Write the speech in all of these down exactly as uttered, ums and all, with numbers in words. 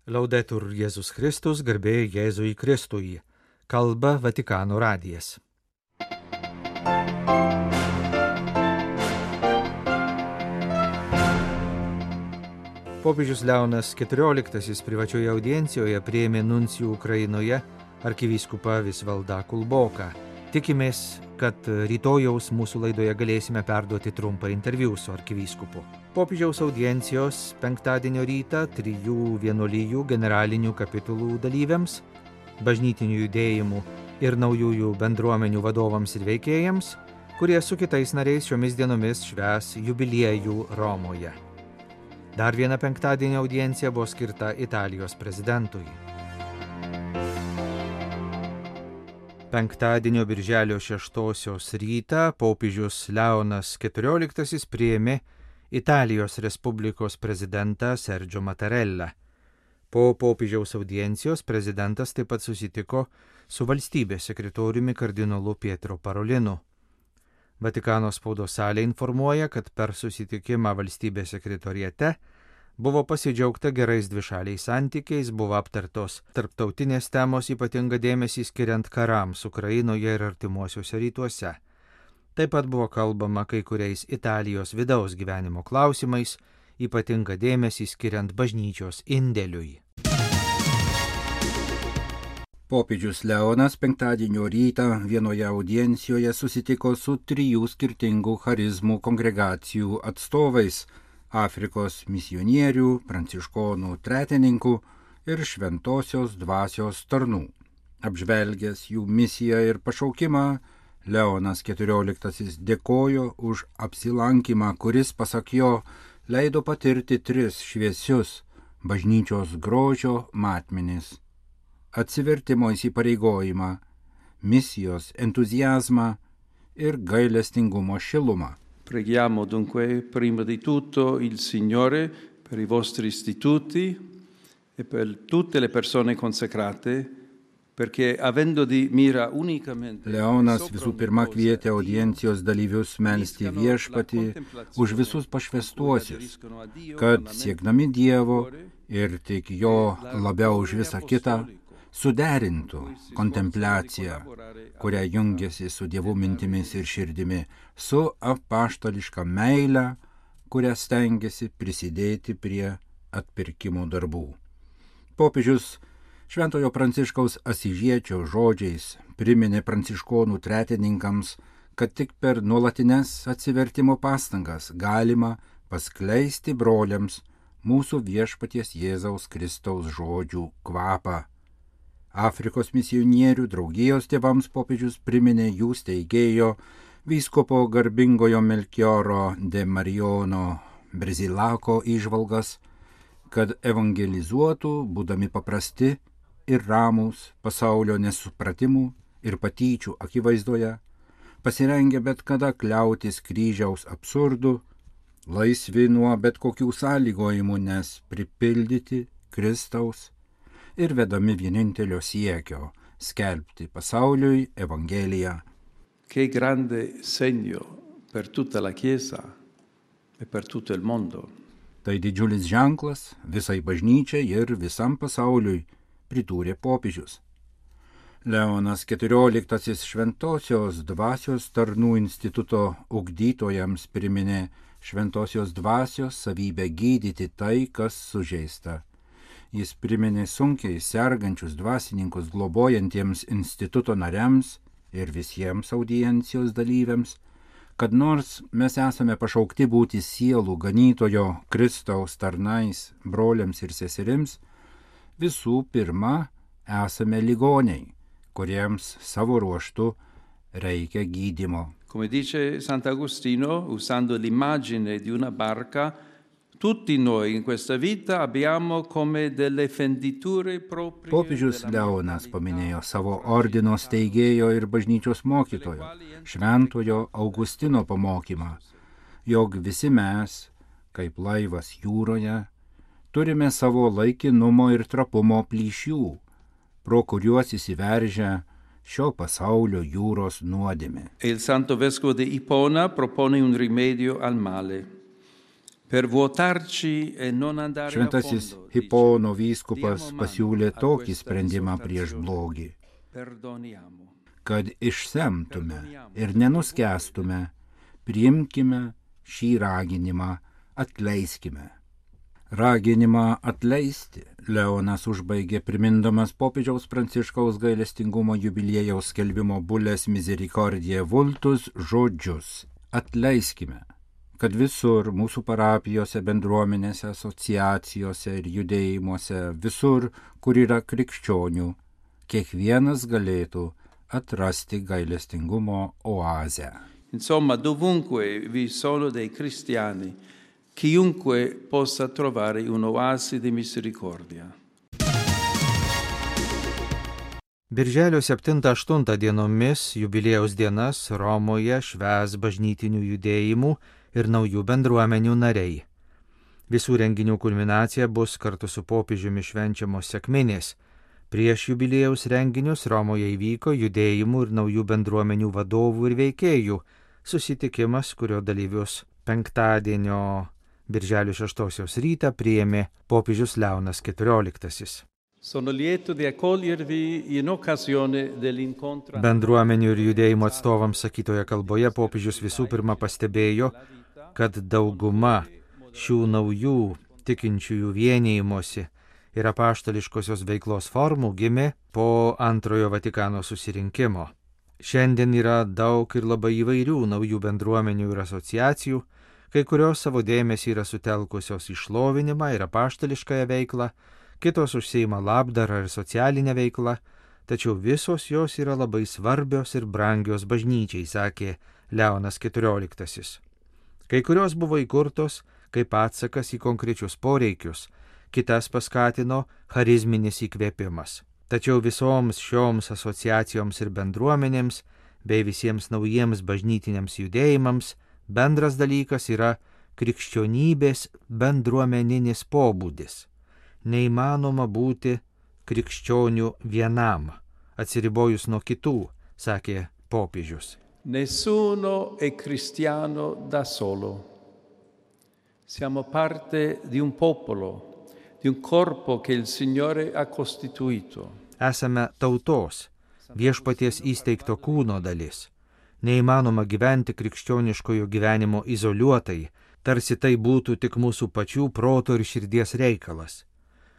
Laudetur Jėzus Kristus, garbė Jėzui Kristui. Kalba Vatikano radijas. Popiežius Leonas keturioliktasis privačioje audiencijoje priėmė nuncijų Ukrainoje arkivyskupą Visvaldą Kulboką. Tikimės, kad rytojaus mūsų laidoje galėsime perduoti trumpą interviu su arkivyskupu. Popiežiaus audiencijos penktadienio rytą trijų vienuolijų generalinių kapitulų dalyviams, bažnytinių judėjimų ir naujųjų bendruomenių vadovams ir veikėjams, kurie su kitais nariais šiomis dienomis švęs jubiliejų Romoje. Dar viena penktadienio audiencija buvo skirta Italijos prezidentui. Penktadienio birželio šeštosios rytą popiežius Leonas keturioliktasis priėmė Italijos Respublikos prezidentą Sergio Mattarellą. Po popiežiaus audiencijos prezidentas taip pat susitiko su valstybės sekretoriumi kardinolu Pietro Parolinu. Vatikano spaudos salė informuoja, kad per susitikimą valstybės sekretoriate buvo pasidžiaugta gerais dvišaliais santykiais, buvo aptartos tarptautinės temos, ypatingą dėmesį skiriant karams Ukrainoje ir artimuosiuose rytuose. Taip pat buvo kalbama kai kuriais Italijos vidaus gyvenimo klausimais, ypatingą dėmesį skiriant bažnyčios indėliui. Popiežius Leonas penktadienio rytą vienoje audiencijoje susitiko su trijų skirtingų charizmų kongregacijų atstovais – Afrikos misionierių, pranciškonų tretininkų ir šventosios dvasios tarnų. Apžvelgęs jų misiją ir pašaukimą, Leonas keturioliktasis dėkojo už apsilankymą, kuris, pasak jo, leido patirti tris šviesius bažnyčios grožio matmenis – atsivertimo įsipareigojimą, misijos entuziazmą ir gailestingumo šilumą. Preghiamo dunque prima di tutto il Signore per i vostri istituti e per tutte le persone consacrate, perché avendo di mira unicamente... Leonas visų pirma kvietė audiencijos dalyvius melsti viešpatį už visus pašvęstuosius, kad siekdami Dievo ir tik jo labiau už visą kitą, suderintų kontempliaciją, kurią jungiasi su Dievo mintimis ir širdimi, su apaštališka meile, kurią stengiasi prisidėti prie atpirkimo darbų. Popiežius Šventojo Pranciškaus Asyžiečio žodžiais priminė pranciškonų tretininkams, kad tik per nuolatines atsivertimo pastangas galima paskleisti broliams mūsų viešpaties Jėzaus Kristaus žodžių kvapą. Afrikos misionierių draugijos tėvams popiežius priminė jų steigėjo vyskupo garbingojo Melchioro de Marijono Brzilako įžvalgas, kad evangelizuotų, būdami paprasti ir ramūs pasaulio nesupratimų ir patyčių akivaizdoje, pasirengę bet kada kliautis kryžiaus absurdų, laisvi nuo bet kokių sąlygojimų, nes pripildyti Kristaus ir vedami vienintelio siekio – skelbti pasauliui Evangeliją. Che grande segno per tutta la Chiesa e per tutto il mondo. Tai didžiulis ženklas visai bažnyčiai ir visam pasauliui, pridūrė popiežius. Leonas keturioliktasis šventosios dvasios tarnų instituto ugdytojams priminė šventosios dvasios savybę gydyti tai, kas sužeista. Jis priminė sunkiai sergančius dvasininkus globojantiems instituto nariams ir visiems audiencijos dalyviams, kad nors mes esame pašaukti būti sielų ganytojo Kristaus tarnais, broliams ir seserims, visų pirma esame ligoniai, kuriems savo ruožtu reikia gydymo. Come dice Sant'Agostino, usando l'immagine di una barca, tutti noi in questa vita abbiamo come delle fenditure proprie. Popiežius Leonas paminėjo savo ordino steigėjo ir bažnyčios mokytojo, šventojo Augustino pamokymą, jog visi mes, kaip laivas jūroje, turime savo laikinumo ir trapumo plyšių, pro kuriuos įsiveržia šio pasaulio jūros nuodėmė. E il Santo Vescovo di Ipona propone un rimedio al male. Per vuotarci e non andare a Šventasis fondo, Hipono vyskupas pasiūlė tokį sprendimą prieš blogį, perdoniamo. kad išsemtume ir nenuskęstume, priimkime šį raginimą, atleiskime. Raginimą atleisti Leonas užbaigė primindamas popiežiaus Pranciškaus gailestingumo jubiliejaus skelbimo bulės Misericordiae Vultus žodžius. Atleiskime, kad visur mūsų parapijose, bendruomenėse, asociacijose ir judėjimuose, visur, kur yra krikščionių, kiekvienas galėtų atrasti gailestingumo oazę. Insomma, dovunque vi sono dei cristiani, chiunque possa trovare un'oasi di misericordia. Birželio septintą aštuntą dienomis jubiliejaus dienas Romoje švęs bažnytinių judėjimų ir naujų bendruomenių nariai. Visų renginių kulminacija bus kartu su popiežiumi švenčiamos sekminės. Prieš jubiliejaus renginius Romoje įvyko judėjimų ir naujų bendruomenių vadovų ir veikėjų susitikimas, kurio dalyvius penktadienio Birželio šeštosios rytą priėmė popiežius Leonas keturioliktasis. Sono lieto di accogliervi in occasione dell'incontro. Bendruomenių ir judėjimų atstovams sakytoje kalboje popiežius visų pirma pastebėjo, kad dauguma šių naujų tikinčiųjų vienijimosi ir apaštališkosios veiklos formų gimė po antrojo Vatikano susirinkimo. Šiandien yra daug ir labai įvairių naujų bendruomenių ir asociacijų, kai kurios savo dėmesį yra sutelkusios į šlovinimą ir apaštališkąją veiklą, kitos užsiima labdarą ir socialinę veiklą, tačiau visos jos yra labai svarbios ir brangios bažnyčiai, sakė Leonas keturioliktasis. Kai kurios buvo įkurtos kaip atsakas į konkrečius poreikius, kitas paskatino charizminis įkvėpimas. Tačiau visoms šioms asociacijoms ir bendruomenėms bei visiems naujiems bažnytiniams judėjimams bendras dalykas yra krikščionybės bendruomeninis pobūdis. Neįmanoma būti krikščionių vienam, atsiribojus nuo kitų, sakė popiežius. Nessuno è cristiano da solo. Siamo parte di un popolo, di un corpo che il Signore ha costituito. Esame tautos, viešpaties įsteigto kūno dalis. Neįmanoma gyventi krikščioniškojo gyvenimo izoliuotai, tarsi tai būtų tik mūsų pačių proto ir širdies reikalas.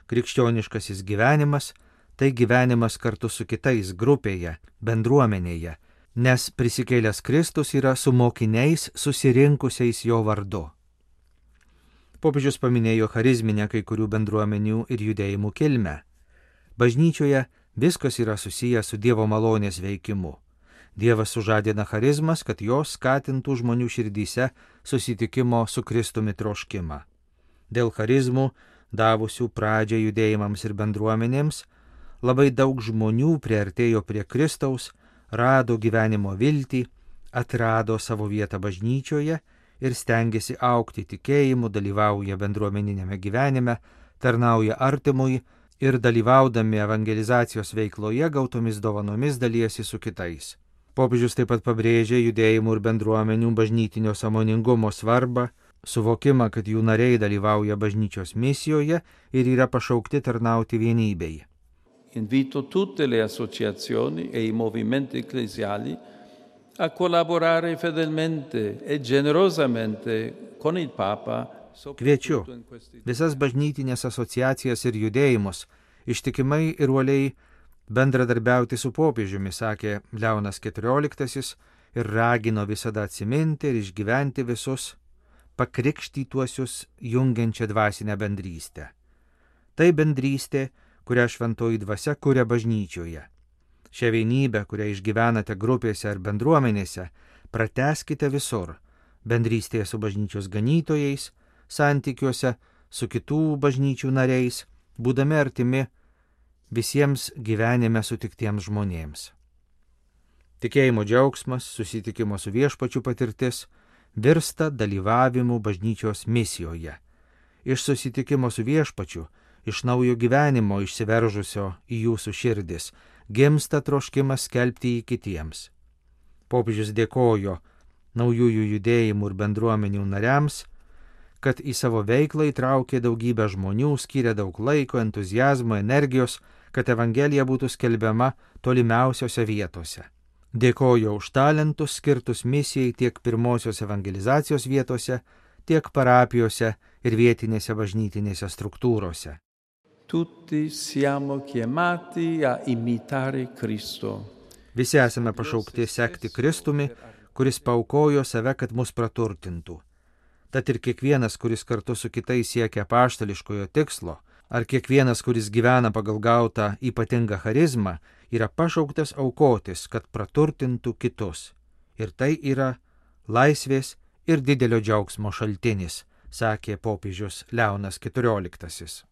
Krikščioniškasis gyvenimas – tai gyvenimas kartu su kitais grupėje, bendruomenėje, nes prisikėlęs Kristus yra su mokiniais susirinkusiais jo vardu. Popiežius paminėjo charizminę kai kurių bendruomenių ir judėjimų kilmę. Bažnyčioje viskas yra susiję su Dievo malonės veikimu. Dievas sužadina charizmas, kad jos skatintų žmonių širdyse susitikimo su Kristumi troškimą. Dėl charizmų, davusių pradžią judėjimams ir bendruomenėms, labai daug žmonių priartėjo prie Kristaus, rado gyvenimo viltį, atrado savo vietą bažnyčioje ir stengiasi augti tikėjimu, dalyvauja bendruomeninėme gyvenime, tarnauja artimui ir dalyvaudami evangelizacijos veikloje gautomis dovanomis dalijasi su kitais. Popiežius taip pat pabrėžė judėjimų ir bendruomenių bažnytinio sąmoningumo svarbą, suvokimą, kad jų nariai dalyvauja bažnyčios misijoje ir yra pašaukti tarnauti vienybei. Invito tutte le associazioni e i movimenti ecclesiali a collaborare fedelmente e generosamente con il Papa. Kviečiu visas bažnytinės asociacijas ir judėjimus ištikimai ir uoliai bendradarbiauti su popiežiumi, sakė Leonas keturioliktasis ir ragino visada atsiminti ir išgyventi visus pakrikštytuosius jungiančią dvasinę bendrystę. Tai bendrystė, kurią šventoji dvasia kuria bažnyčioje. Šią vienybę, kurią išgyvenate grupėse ar bendruomenėse, pratęskite visur, bendrystėje su bažnyčios ganytojais, santykiuose su kitų bažnyčių nariais, būdami artimi visiems gyvenime sutiktiems žmonėms. Tikėjimo džiaugsmas, susitikimo su viešpačiu patirtis virsta dalyvavimu bažnyčios misijoje. Iš susitikimo su viešpačiu, iš naujo gyvenimo išsiveržusio į jūsų širdis, gimsta troškimas skelbti jį kitiems. Popiežius dėkojo naujųjų judėjimų ir bendruomenių nariams, kad į savo veiklą įtraukė daugybę žmonių, skyrė daug laiko, entuzijazmo, energijos, kad Evangelija būtų skelbiama tolimiausiose vietose. Dėkoju už talentus skirtus misijai tiek pirmosios evangelizacijos vietose, tiek parapijose ir vietinėse bažnytinėse struktūrose. Tutti siamo chiamati a imitare Cristo. Visi esame pašaukti sekti Kristumi, kuris paaukojo save, kad mus praturtintų. Tad ir kiekvienas, kuris kartu su kitais siekia apaštališkojo tikslo, ar kiekvienas, kuris gyvena pagal gautą ypatingą charizmą, yra pašauktas aukotis, kad praturtintų kitus. Ir tai yra laisvės ir didelio džiaugsmo šaltinis, sakė popiežius Leonas keturioliktasis.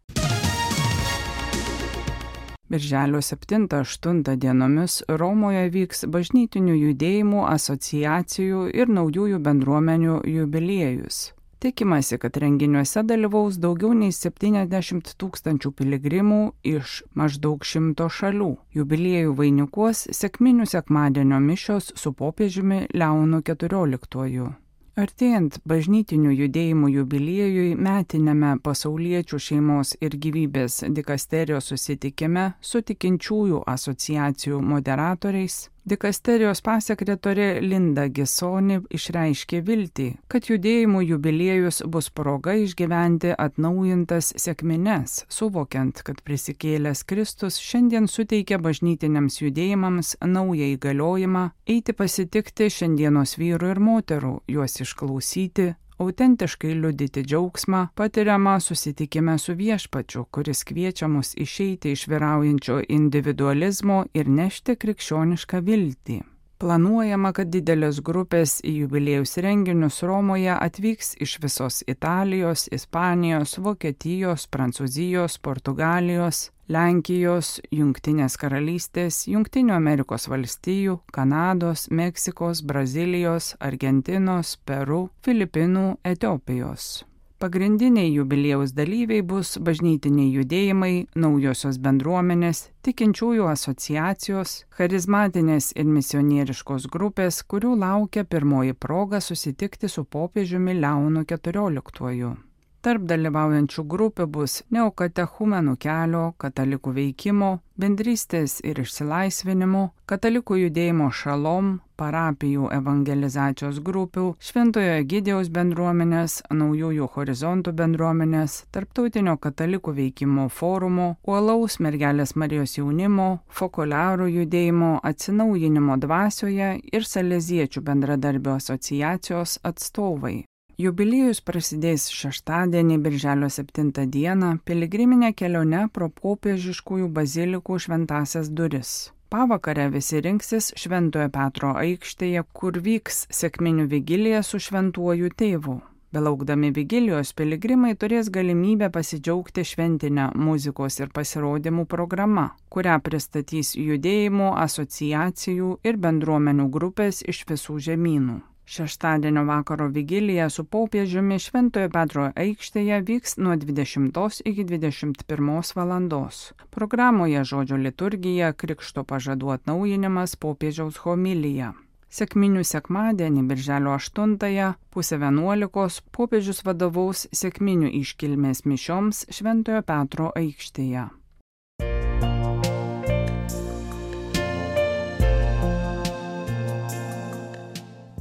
Birželio septintą aštuntą dienomis Romoje vyks bažnytinių judėjimų, asociacijų ir naujųjų bendruomenių jubiliejus. Tikimasi, kad renginiuose dalyvaus daugiau nei septyniasdešimt tūkstančių piligrimų iš maždaug šimto šalių. Jubiliejų vainikuos sekminių sekmadienio mišios su popiežiumi Leonu keturioliktuoju. Artėjant bažnytinių judėjimų jubiliejui metiniame pasauliečių šeimos ir gyvybės dikasterijos susitikime su tikinčiųjų asociacijų moderatoriais, dikasterijos pasekretorė Linda Gisoni išreiškė viltį, kad judėjimų jubiliejus bus proga išgyventi atnaujintas sekmines, suvokiant, kad prisikėlęs Kristus šiandien suteikia bažnytiniams judėjimams naują įgaliojimą eiti pasitikti šiandienos vyrų ir moterų, juos išklausyti, autentiškai liudyti džiaugsmą, patiriamą susitikime su viešpačiu, kuris kviečia mus išeiti iš vyraujančio individualizmo ir nešti krikščionišką viltį. Planuojama, kad didelės grupės į jubiliejaus renginius Romoje atvyks iš visos Italijos, Ispanijos, Vokietijos, Prancūzijos, Portugalijos, Lenkijos, Jungtinės karalystės, Jungtinių Amerikos valstijų, Kanados, Meksikos, Brazilijos, Argentinos, Peru, Filipinų, Etiopijos. Pagrindiniai jubiliejaus dalyviai bus bažnytiniai judėjimai, naujosios bendruomenės, tikinčiųjų asociacijos, charizmatinės ir misionieriškos grupės, kurių laukia pirmoji proga susitikti su popiežiumi Leonu keturioliktuoju. Tarp dalyvaujančių grupių bus neokatechumenų kelio, katalikų veikimo, bendrystės ir išsilaisvinimo, katalikų judėjimo šalom, parapijų evangelizacijos grupių, Šventojo Egidijaus bendruomenės, naujųjų horizontų bendruomenės, tarptautinio katalikų veikimo forumo, uolaus mergelės Marijos jaunimo, fokuliarų judėjimo atsinaujinimo dvasioje ir saleziečių bendradarbių asociacijos atstovai. Jubiliejus prasidės šeštadienį, birželio septintą dieną, piligriminė kelionė pro popiežiškųjų bazilikų šventąsias duris. Pavakare visi rinksis Šventojo Petro aikštėje, kur vyks sekminių vigilija su šventuoju tėvu. Belaukdami vigilijos, piligrimai turės galimybę pasidžiaugti šventinę muzikos ir pasirodymų programą, kurią pristatys judėjimų, asociacijų ir bendruomenių grupės iš visų žemynų. Šeštadienio vakaro vigilija su popiežiumi Šventojo Petro aikštėje vyks nuo dvidešimtos iki dvidešimt pirmos valandos. Programoje žodžio liturgija, krikšto pažadų atnaujinimas, popiežiaus homilija. Sekminių sekmadienį, birželio aštuntąją, pusę vienuolikos, popiežius vadovaus sekminių iškilmės mišioms Šventojo Petro aikštėje.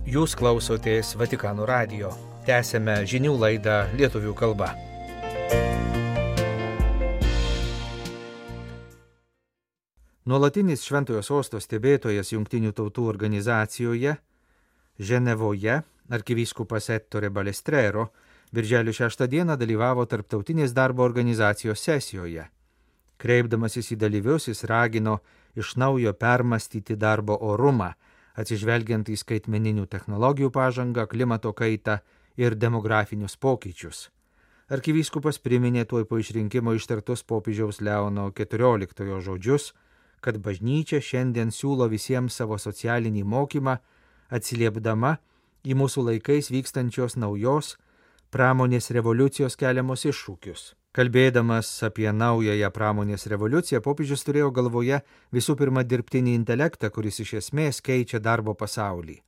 Jūs klausotės Vatikano radijo. Tęsėme žinių laidą lietuvių kalba. Nuolatinis Šventojo Sosto stebėtojas Jungtinių tautų organizacijoje Ženevoje, arkivyskupas Ettore Balestrero, birželio šeštą dieną dalyvavo Tarptautinės darbo organizacijos sesijoje. Kreipdamasis į dalyvius, jis ragino iš naujo permastyti darbo orumą, atsižvelgiant į skaitmeninių technologijų pažangą, klimato kaitą ir demografinius pokyčius. Arkivyskupas priminė tuoj po išrinkimo ištartus popiežiaus Leono keturioliktojo žodžius, kad bažnyčia šiandien siūlo visiems savo socialinį mokymą, atsiliepdama į mūsų laikais vykstančios naujos pramonės revoliucijos keliamus iššūkius. Kalbėdamas apie naująją pramonės revoliuciją, popiežius turėjo galvoje visų pirma dirbtinį intelektą, kuris iš esmės keičia darbo pasaulį.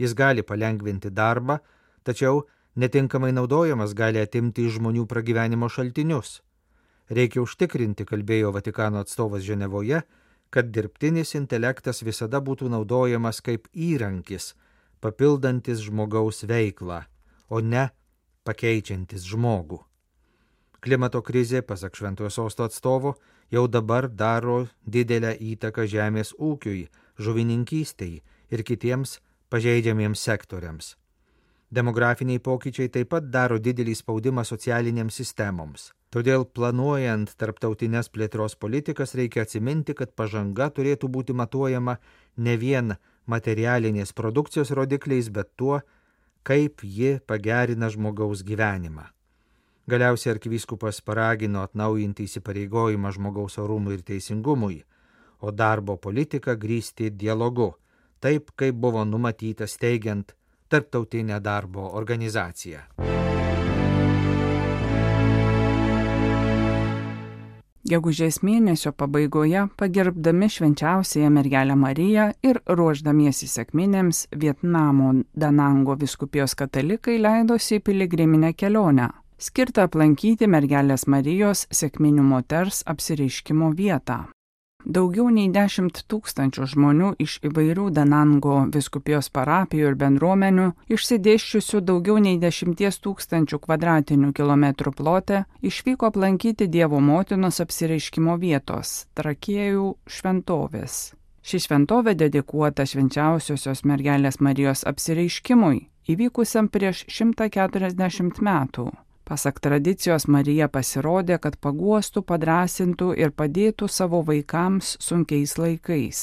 Jis gali palengvinti darbą, tačiau Netinkamai naudojamas gali atimti iš žmonių pragyvenimo šaltinius. Reikia užtikrinti, kalbėjo Vatikano atstovas Ženevoje, kad dirbtinis intelektas visada būtų naudojamas kaip įrankis, papildantis žmogaus veiklą, o ne pakeičiantis žmogų. Klimato krizė, pasak Šventojo Sosto atstovo, jau dabar daro didelę įtaką žemės ūkiui, žuvininkystei ir kitiems pažeidžiamiems sektoriams. Demografiniai pokyčiai taip pat daro didelį spaudimą socialinėms sistemoms. Todėl planuojant tarptautinės plėtros politikas reikia atsiminti, kad pažanga turėtų būti matuojama ne vien materialinės produkcijos rodikliais, bet tuo, kaip ji pagerina žmogaus gyvenimą. Galiausiai arkivyskupas paragino atnaujinti įsipareigojimą žmogaus orumui ir teisingumui, o darbo politiką grįsti dialogu, taip kaip buvo numatyta steigiant Tarptautinę darbo organizaciją. Gegužės mėnesio pabaigoje, pagerbdami švenčiausiąją mergelę Mariją ir ruošdamiesi sekminėms, Vietnamo Danango vyskupijos katalikai leidosi į piligriminę kelionę, skirtą aplankyti mergelės Marijos sekminių moters apsireiškimo vietą. Daugiau nei dešimt tūkstančių žmonių iš įvairių Danango vyskupijos parapijų ir bendruomenių, išsidėsčiusių daugiau nei dešimties tūkstančių kvadratinių kilometrų plote, išvyko aplankyti Dievo motinos apsireiškimo vietos – Trakiejų šventovės. Ši šventovė dedikuota švenčiausiosios mergelės Marijos apsireiškimui, įvykusiam prieš šimtą keturiasdešimt metų. Pasak tradicijos, Marija pasirodė, kad paguostų, padrąsintų ir padėtų savo vaikams sunkiais laikais.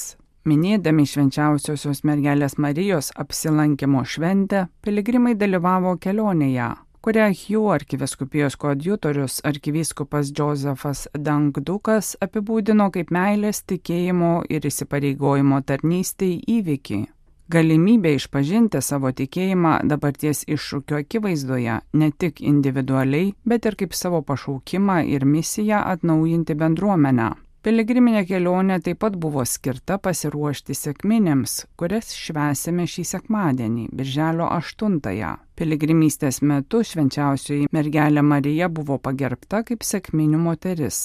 Minėdami švenčiausiosios mergelės Marijos apsilankimo šventę, piligrimai dalyvavo kelionėje, kurią Hju arkivyskupijos koadjutorius arkivyskupas Džozefas Dangdukas apibūdino kaip meilės, tikėjimo ir įsipareigojimo tarnystei įvykį. Galimybė išpažinti savo tikėjimą dabarties iššūkio akivaizdoje ne tik individualiai, bet ir kaip savo pašaukimą ir misiją atnaujinti bendruomenę. Piligriminė kelionė taip pat buvo skirta pasiruošti sekminėms, kurias švęsime šį sekmadienį, birželio aštuntąją. Piligrimystės metu švenčiausioji mergelė Marija buvo pagerbta kaip sekminių moteris.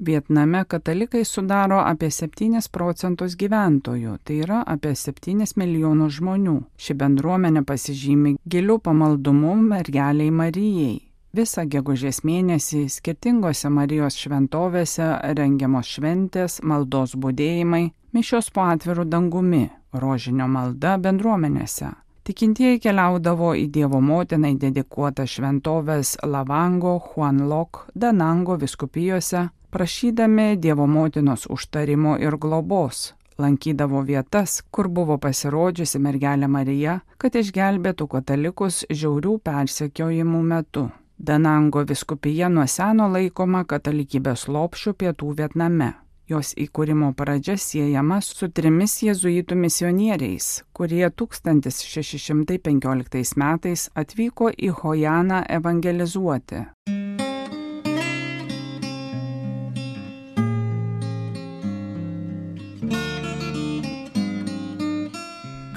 Vietname katalikai sudaro apie septynis procentus gyventojų, tai yra apie septynis milijonus žmonių. Ši bendruomenė pasižymi giliu pamaldumu mergeliai Marijai. Visą gegužės mėnesį skirtingose Marijos šventovėse rengiamos šventės, maldos budėjimai, mišios po atviru dangumi, rožinio malda bendruomenėse. Tikintieji keliaudavo į Dievo motinai dedikuotą šventovės Lavango, Huanlok, Danango vyskupijose, prašydami Dievo motinos užtarimo ir globos, lankydavo vietas, kur buvo pasirodžiusi mergelė Marija, kad išgelbėtų katalikus žiaurių persekiojimų metu. Danango vyskupija nuo seno laikoma katalikybės lopšiu pietų Vietname. Jos įkūrimo pradžia siejama su trimis jėzuitų misionieriais, kurie tūkstantis šeši šimtai penkioliktais metais atvyko į Hojaną evangelizuoti.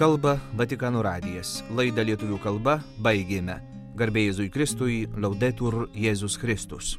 Kalba Vatikano radijas. Laidą lietuvių kalba baigėme. Garbė Jėzui Kristui, Laudetur Jėzus Kristus.